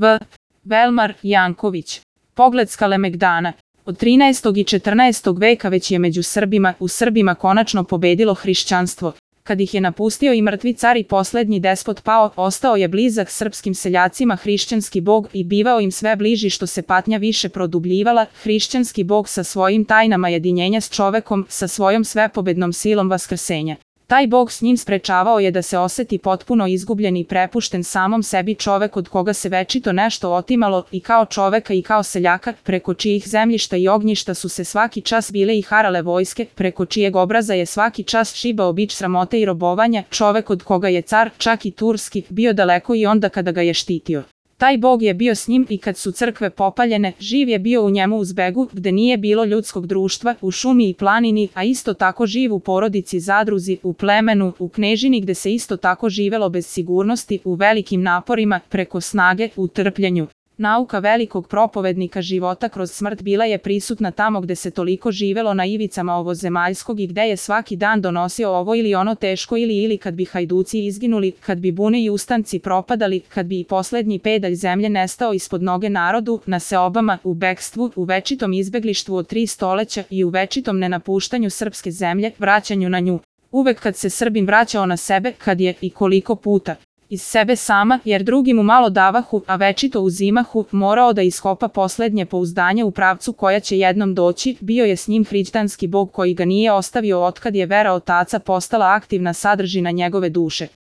V. Velmar Janković. Pogled s Kalemegdana. Od 13. i 14. veka već je među Srbima konačno pobedilo hrišćanstvo. Kad ih je napustio i mrtvi car i poslednji despot pao, ostao je blizak srpskim seljacima hrišćanski bog i bivao im sve bliži što se patnja više produbljivala, hrišćanski bog sa svojim tajnama jedinjenja s čovekom, sa svojom svepobednom silom vaskrsenja. Taj bog s njim sprečavao je da se oseti potpuno izgubljen i prepušten samom sebi čovek od koga se večito nešto otimalo i kao čoveka i kao seljaka, preko čijih zemljišta i ognjišta su se svaki čas bile i harale vojske, preko čijeg obraza je svaki čas šibao bič sramote i robovanja, čovek od koga je car, čak i turski, bio daleko i onda kada ga je štitio. Taj bog je bio s njim i kad su crkve popaljene, živ je bio u njemu u zbegu, gde nije bilo ljudskog društva, u šumi i planini, a isto tako živ u porodici, zadruzi, u plemenu, u knežini gde se isto tako živelo bez sigurnosti, u velikim naporima, preko snage, u trpljenju. Nauka velikog propovednika života kroz smrt bila je prisutna tamo gde se toliko živelo na ivicama ovozemaljskog i gde je svaki dan donosio ovo ili ono teško ili kad bi hajduci izginuli, kad bi bune i ustanci propadali, kad bi i poslednji pedalj zemlje nestao ispod noge narodu, na seobama, u bekstvu, u večitom izbeglištvu od 3 stoleća i u večitom nenapuštanju srpske zemlje, vraćanju na nju. Uvek kad se Srbin vraćao na sebe, kad je i koliko puta iz sebe sama, jer drugi mu malo davahu, a večito uzimahu, morao da iskopa poslednje pouzdanje u pravcu koja će jednom doći, bio je s njim hrišćanski bog koji ga nije ostavio otkad je vera otaca postala aktivna sadržina njegove duše.